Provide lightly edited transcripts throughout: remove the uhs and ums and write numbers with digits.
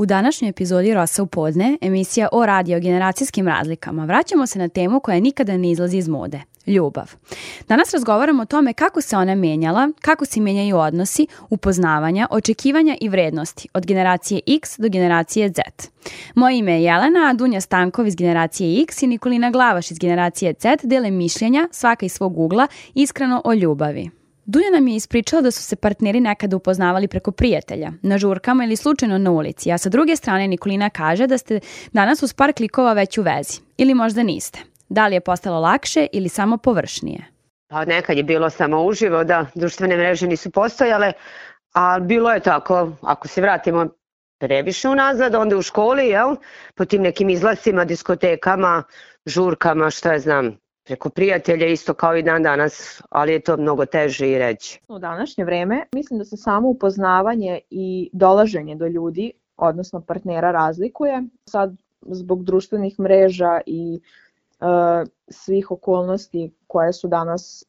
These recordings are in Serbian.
U današnjoj epizodi Rosa u podne, emisija o radiogeneracijskim razlikama, vraćamo se na temu koja nikada ne izlazi iz mode – ljubav. Danas razgovaramo o tome kako se ona menjala, kako se menjaju odnosi, upoznavanja, očekivanja i vrednosti od generacije X do generacije Z. Moje ime je Jelena, a Dunja Stankov iz generacije X i Nikolina Glavaš iz generacije Z dele mišljenja, svaka iz svog ugla, iskreno o ljubavi. Dunja nam je ispričala da su se partneri nekada upoznavali preko prijatelja, na žurkama ili slučajno na ulici, a sa druge strane Nikolina kaže da ste danas uz par klikova već u vezi. Ili možda niste. Da li je postalo lakše ili samo površnije? Pa nekad je bilo samo uživo, da, društvene mreže nisu postojale, a bilo je tako, ako se vratimo previše unazad, onda u školi, jel, po tim nekim izlascima, diskotekama, žurkama, šta ja znam, preko prijatelja isto kao i dan danas, ali je to mnogo teže i reći. U današnje vreme mislim da se samo upoznavanje i dolaženje do ljudi, odnosno partnera, razlikuje. Sad zbog društvenih mreža i svih okolnosti koje su danas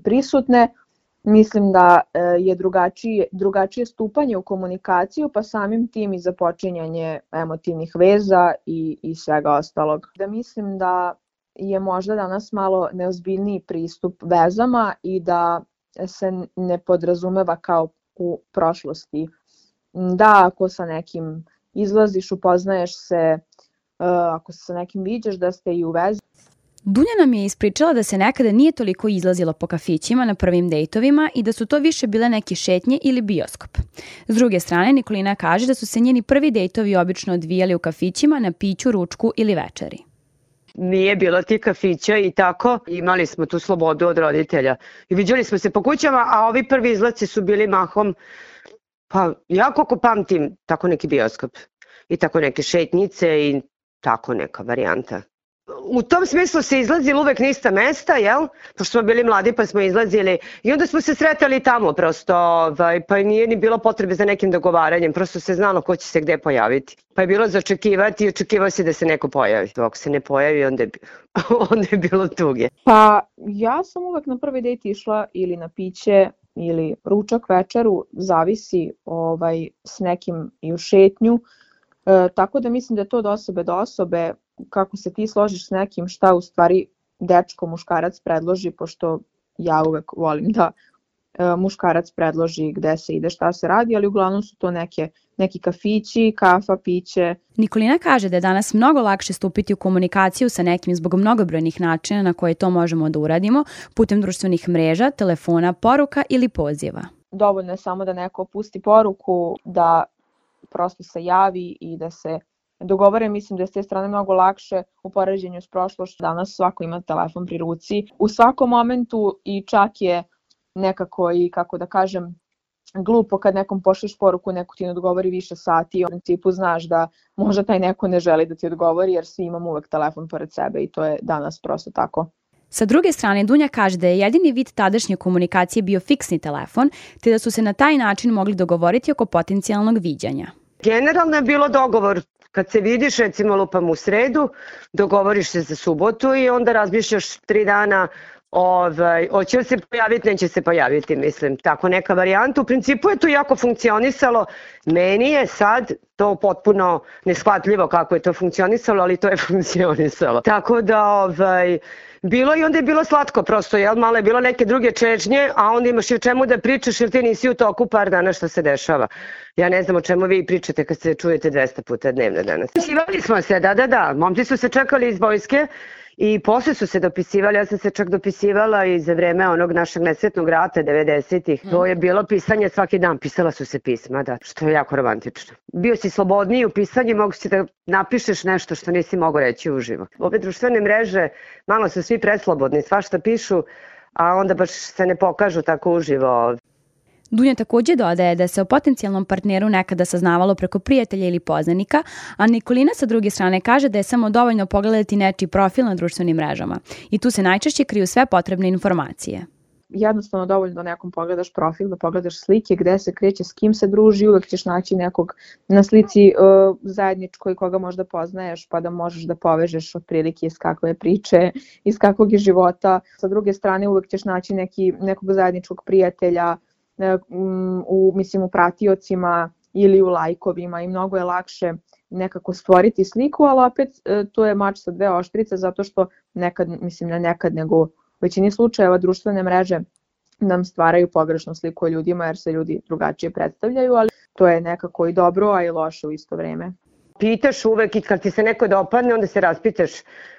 prisutne, mislim da je drugačije stupanje u komunikaciju, pa samim tim i započinjanje emotivnih veza i svega ostalog. Da mislim da je možda danas malo neozbiljniji pristup vezama i da se ne podrazumeva kao u prošlosti. Da, ako sa nekim izlaziš, upoznaješ se, ako se sa nekim viđaš, da ste i u vezi. Dunja nam je ispričala da se nekada nije toliko izlazilo po kafićima na prvim dejtovima i da su to više bile neke šetnje ili bioskop. S druge strane, Nikolina kaže da su se njeni prvi dejtovi obično odvijali u kafićima na piću, ručku ili večeri. Nije bilo ti kafića i tako, imali smo tu slobodu od roditelja. I viđali smo se po kućama, a ovi prvi izlaci su bili mahom, pa ja koliko pamtim, tako neki bioskop i tako neke šetnjice i tako neka varijanta. U tom smislu se izlazili uvek na ista mesta, jel? Pošto smo bili mladi pa smo izlazili i onda smo se sretali tamo prosto, pa nije ni bilo potrebe za nekim dogovaranjem, prosto se znalo ko će se gde pojaviti. Pa je bilo za očekivati i očekivao se da se neko pojavi. Ako se ne pojavi, onda je bilo tuge. Pa ja sam uvek na prvi dejt išla ili na piće ili ručak, večeru, zavisi s nekim i u šetnju. Tako da mislim da je to od osobe do osobe, kako se ti složiš s nekim, šta u stvari dečko, muškarac predloži, pošto ja uvek volim da muškarac predloži gde se ide, šta se radi, ali uglavnom su to neki kafići, kafa, piće. Nikolina kaže da je danas mnogo lakše stupiti u komunikaciju sa nekim zbog mnogobrojnih načina na koje to možemo da uradimo, putem društvenih mreža, telefona, poruka ili poziva. Dovoljno je samo da neko pusti poruku, da prosto se javi i da se dogovore. Mislim da je s te strane mnogo lakše u poređenju s prošlošću. Danas svako ima telefon pri ruci. U svakom momentu i čak je nekako i, kako da kažem, glupo kad nekom pošleš poruku, neko ti ne odgovori više sati i u principu znaš da možda taj neko ne želi da ti odgovori jer svi imamo uvek telefon pored sebe i to je danas prosto tako. Sa druge strane, Dunja kaže da je jedini vid tadašnje komunikacije bio fiksni telefon, te da su se na taj način mogli dogovoriti oko potencijalnog viđanja. Generalno je bilo dogovor. Kad se vidiš, recimo lupam u sredu, dogovoriš se za subotu i onda razmišljaš 3 dana hoće li se pojaviti, neće se pojaviti, mislim, tako neka varijanta. U principu je to jako funkcionisalo. Meni je sad to potpuno neshvatljivo kako je to funkcionisalo, ali to je funkcionisalo. Tako da, bilo i onda je bilo slatko prosto, jel, malo je bilo neke druge čežnje, a onda imaš i o čemu da pričaš jer ti nisi u toku par dana što se dešava. Ja ne znam o čemu vi pričate kad se čujete 200 puta dnevno danas. Dopisivali smo se, da, momci su se čekali iz vojske i posle su se dopisivali, ja sam se čak dopisivala i za vreme onog našeg nesretnog rata 90-ih. To je bilo pisanje svaki dan, pisala su se pisma, da, što je jako romantično. Bio si slobodniji u pisanju, mogu si da napišeš nešto što nisi mogao reći uživo. Ove društvene mreže, malo su svi preslobodni, svašta pišu, a onda baš se ne pokažu tako uživo. Dunja takođe dodaje da se o potencijalnom partneru nekada saznavalo preko prijatelja ili poznanika, a Nikolina sa druge strane kaže da je samo dovoljno pogledati nečiji profil na društvenim mrežama i tu se najčešće kriju sve potrebne informacije. Jednostavno dovoljno da nekom pogledaš profil, da pogledaš slike, gde se kreće, s kim se druži, uvek ćeš naći nekog na slici zajedničkoj koga možda poznaješ, pa da možeš da povežeš otprilike iz kakve priče, iz kakvog je života. Sa druge strane uvek ćeš naći nekog zajedničkog prijatelja, u pratiocima ili u lajkovima i mnogo je lakše nekako stvoriti sliku, ali opet to je mač sa dve oštrice zato što nekad, mislim ne nekad, nego u većini slučajeva društvene mreže nam stvaraju pogrešnu sliku o ljudima jer se ljudi drugačije predstavljaju, ali to je nekako i dobro, a i loše u isto vreme. Pitaš uvek i kad ti se neko dopadne, onda se raspitaš,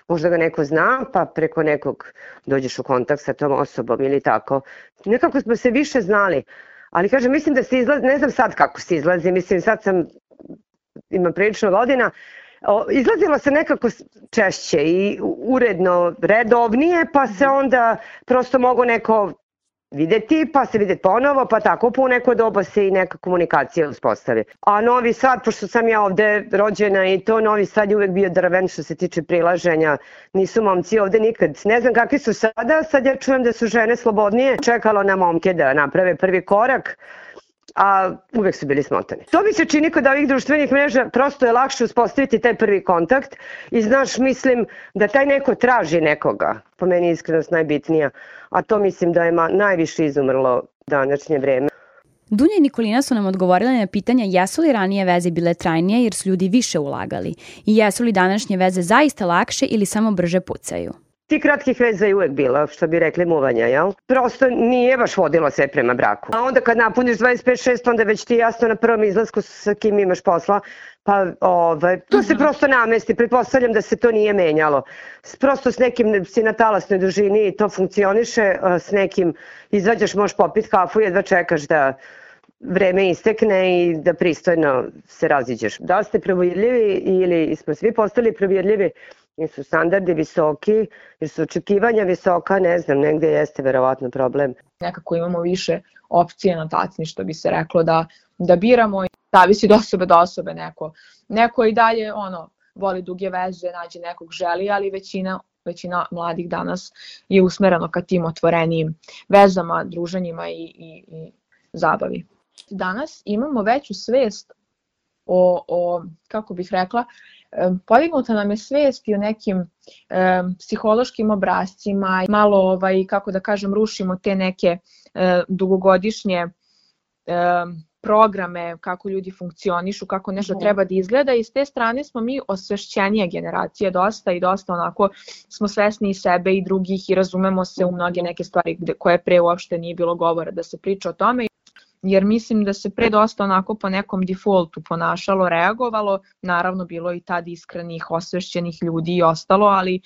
možda ga neko zna, pa preko nekog dođeš u kontakt sa tom osobom ili tako. Nekako smo se više znali, ali kažem, mislim da se izlazi, ne znam sad kako se izlazi, mislim sad imam prilično godina, izlazilo se nekako češće i uredno, redovnije, pa se onda prosto mogu neko videti, pa se videti ponovo, pa tako po neko doba se i neka komunikacija uspostavi. A Novi Sad, pošto sam ja ovde rođena i to, Novi Sad je uvek bio drven što se tiče prilaženja, nisu momci ovde nikad. Ne znam kakvi su sada, sad ja čujem da su žene slobodnije, čekalo na momke da naprave prvi korak, a uvek su bili smotani. To mi se čini kod ovih društvenih mreža, prosto je lakše uspostaviti taj prvi kontakt i znaš, mislim da taj neko traži nekoga, po meni je iskrenost najbitnija, a to mislim da je najviše izumrlo današnje vreme. Dunja i Nikolina su nam odgovorile na pitanja jesu li ranije veze bile trajnije jer su ljudi više ulagali i jesu li današnje veze zaista lakše ili samo brže pucaju. Ti kratkih veza je uvek bilo, što bi rekli muvanja, jel? Prosto nije baš vodilo sve prema braku. A onda kad napuniš 25-6, onda već ti jasno na prvom izlasku sa kim imaš posla, pa to se prosto namesti. Pretpostavljam da se to nije menjalo. Prosto s nekim si na talasnoj dužini i to funkcioniše, s nekim izvađaš, možeš popiti kafu, jedva čekaš da vreme istekne i da pristojno se raziđeš. Da ste provjerljivi ili smo svi postali provjerljivi, jer su standardi visoki, jer su očekivanja visoka, ne znam, negde jeste verovatno problem. Nekako imamo više opcije na tacni, što bi se reklo, da biramo i zavisi od osobe do osobe. Neko i dalje voli duge veze, nađe nekog želi, ali većina mladih danas je usmereno ka tim otvorenijim vezama, druženjima i zabavi. Danas imamo veću svest o kako bih rekla, podignuta nam je svest i o nekim psihološkim obrascima, malo, kako da kažem, rušimo te neke dugogodišnje programe, kako ljudi funkcionišu, kako nešto treba da izgleda i s te strane smo mi osvešćenija generacija dosta i dosta onako smo svesni i sebe i drugih i razumemo se u mnoge neke stvari koje pre uopšte nije bilo govora da se priča o tome. Jer mislim da se pre dosta onako po nekom defaultu ponašalo, reagovalo, naravno bilo i tad iskrenih, osvešćenih ljudi i ostalo, ali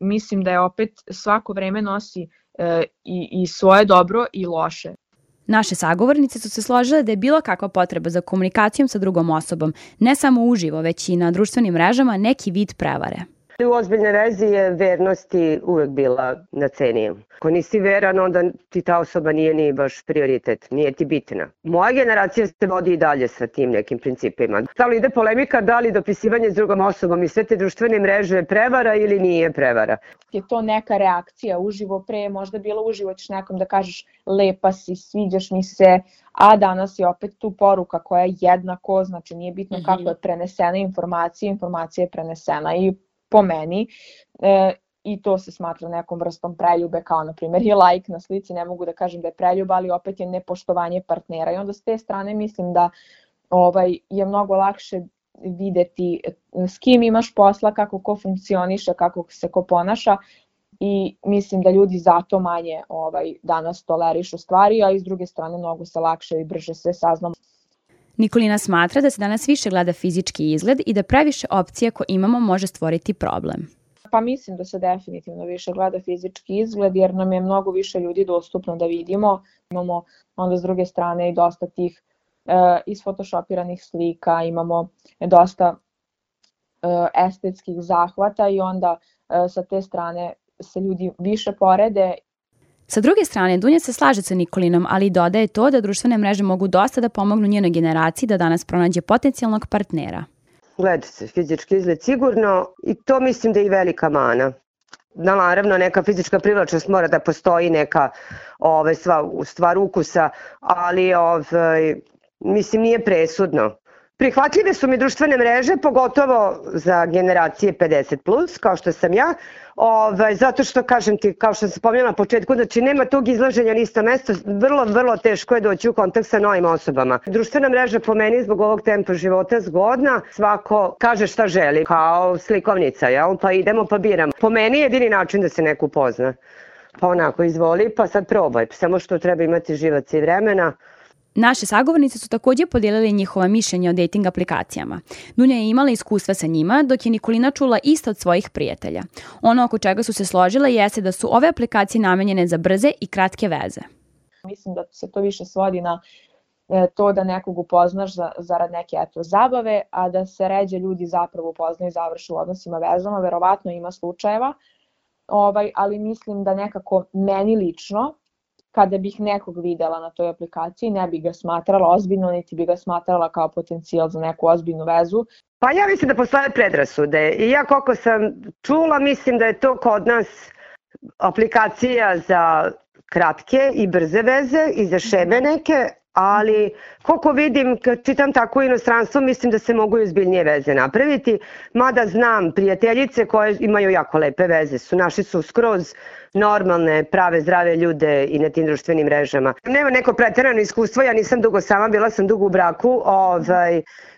mislim da je opet svako vreme nosi i svoje dobro i loše. Naše sagovornice su se složile da je bilo kakva potreba za komunikacijom sa drugom osobom, ne samo uživo, već i na društvenim mrežama, neki vid prevare. U ozbiljnoj vezi je vernosti uvek bila na ceni. Ako nisi veran, onda ti ta osoba nije ni baš prioritet, nije ti bitna. Moja generacija se vodi i dalje sa tim nekim principima. Stalno ide polemika da li dopisivanje s drugom osobom i sve te društvene mreže je prevara ili nije prevara. Je to neka reakcija uživo, pre možda bilo uživo ćeš nekom da kažeš lepa si, sviđaš mi se, a danas je opet tu poruka koja je jednako, znači nije bitno kako je prenesena informacija je prenesena i po meni i to se smatra nekom vrstom preljube, kao na primjer je like na slici, ne mogu da kažem da je preljuba, ali opet je nepoštovanje partnera i onda s te strane mislim da je mnogo lakše videti s kim imaš posla, kako ko funkcioniše, kako se ko ponaša i mislim da ljudi zato manje danas tolerišu stvari, a i s druge strane mnogo se lakše i brže sve saznamo. Nikolina smatra da se danas više gleda fizički izgled i da previše opcija koje imamo može stvoriti problem. Pa mislim da se definitivno više gleda fizički izgled jer nam je mnogo više ljudi dostupno da vidimo. Imamo onda s druge strane i dosta tih isfotoshopiranih slika, imamo dosta estetskih zahvata i onda sa te strane se ljudi više porede. Sa druge strane, Dunja se slaže sa Nikolinom, ali dodaje to da društvene mreže mogu dosta da pomognu njenoj generaciji da danas pronađe potencijalnog partnera. Gleda se fizički izgled sigurno i to mislim da je i velika mana. Naravno, neka fizička privlačnost mora da postoji, neka stvar ukusa, ali mislim nije presudno. Prihvatljive su mi društvene mreže, pogotovo za generacije 50+, kao što sam ja, zato što, kažem ti, kao što sam spomenula na početku, znači nema tog izlaženja na isto mesto, vrlo teško je doći u kontakt sa novim osobama. Društvena mreža po meni zbog ovog tempa života zgodna, svako kaže šta želi, kao slikovnica, jel? Pa idemo pa biramo. Po meni je jedini način da se neko upozna. Pa onako, izvoli, pa sad probaj, samo što treba imati živac i vremena. Naše sagovornice su također podijelili njihova mišljenja o dating aplikacijama. Dunja je imala iskustva sa njima, dok je Nikolina čula isto od svojih prijatelja. Ono oko čega su se složile jeste da su ove aplikacije namenjene za brze i kratke veze. Mislim da se to više svodi na to da nekog upoznaš zarad neke zabave, a da se ređe ljudi zapravo upoznaju i završe u odnosima vezama. Verovatno ima slučajeva, ali mislim da nekako meni lično, kada bih nekog videla na toj aplikaciji, ne bih ga smatrala ozbiljno, niti bi ga smatrala kao potencijal za neku ozbiljnu vezu. Pa ja mislim da postoje predrasude i ja koliko sam čula, mislim da je to kod nas aplikacija za kratke i brze veze i za šeme neke, ali koliko vidim, kad čitam tako u inostranstvu, mislim da se mogu i ozbiljnije veze napraviti, mada znam prijateljice koje imaju jako lepe veze, naši su skroz normalne, prave, zdrave ljude i na tim društvenim mrežama. Nema neko preterano iskustvo, ja nisam dugo sama, bila sam dugo u braku,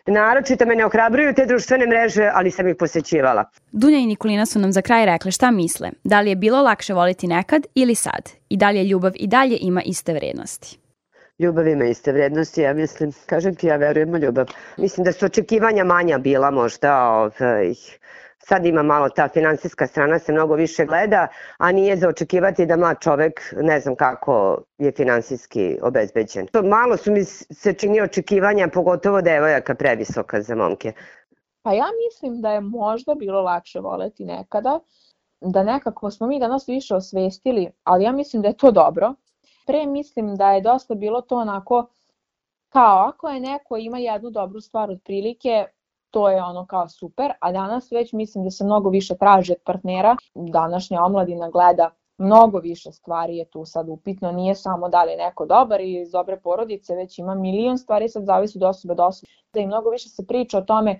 naročito me ne ohrabruju te društvene mreže, ali sam ih posećivala. Dunja i Nikolina su nam za kraj rekle šta misle, da li je bilo lakše voliti nekad ili sad i da li je ljubav i dalje ima iste vrednosti. Ljubav ima iste vrednosti, ja mislim, kažem ti, ja verujem u ljubav. Mislim da su očekivanja manja bila možda, sad ima malo ta finansijska strana se mnogo više gleda, a nije za očekivati da mlad čovek ne znam kako je finansijski obezbeđen. Malo su mi se čini očekivanja, pogotovo devojaka, previsoka za momke. Pa ja mislim da je možda bilo lakše voleti nekada, da nekako smo mi danas više osvestili, ali ja mislim da je to dobro. Pre mislim da je dosta bilo to onako kao ako je neko ima jednu dobru stvar od prilike, to je ono kao super, a danas već mislim da se mnogo više traži od partnera. Današnja omladina gleda mnogo više stvari je tu sad upitno, nije samo da li je neko dobar i iz dobre porodice, već ima milion stvari, sad zavisi od osobe do osobe. Da i mnogo više se priča o tome,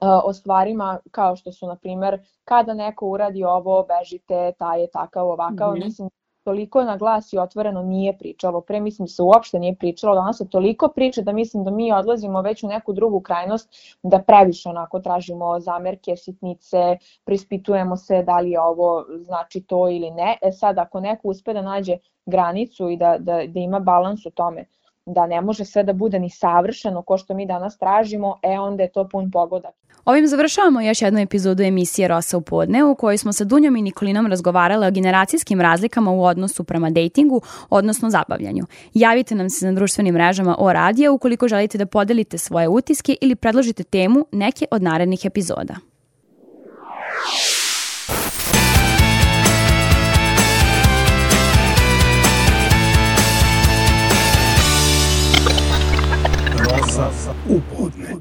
o stvarima kao što su, na primjer, kada neko uradi ovo, bežite, taj je takav, ovakav, mislim, toliko na glas i otvoreno nije pričalo. Pre mislim da se uopšte nije pričalo, danas se toliko priča da mislim da mi odlazimo već u neku drugu krajnost, da previše onako tražimo zamerke, sitnice, prispitujemo se da li je ovo znači to ili ne. Sad ako neko uspe da nađe granicu i da ima balans u tome, da ne može sve da bude ni savršeno ko što mi danas tražimo, onda je to pun pogodak. Ovim završavamo još jednu epizodu emisije Rosa u podne, u kojoj smo sa Dunjom i Nikolinom razgovarale o generacijskim razlikama u odnosu prema dejtingu, odnosno zabavljanju. Javite nam se na društvenim mrežama O Radio ukoliko želite da podelite svoje utiske ili predložite temu neke od narednih epizoda. Rosa u podne.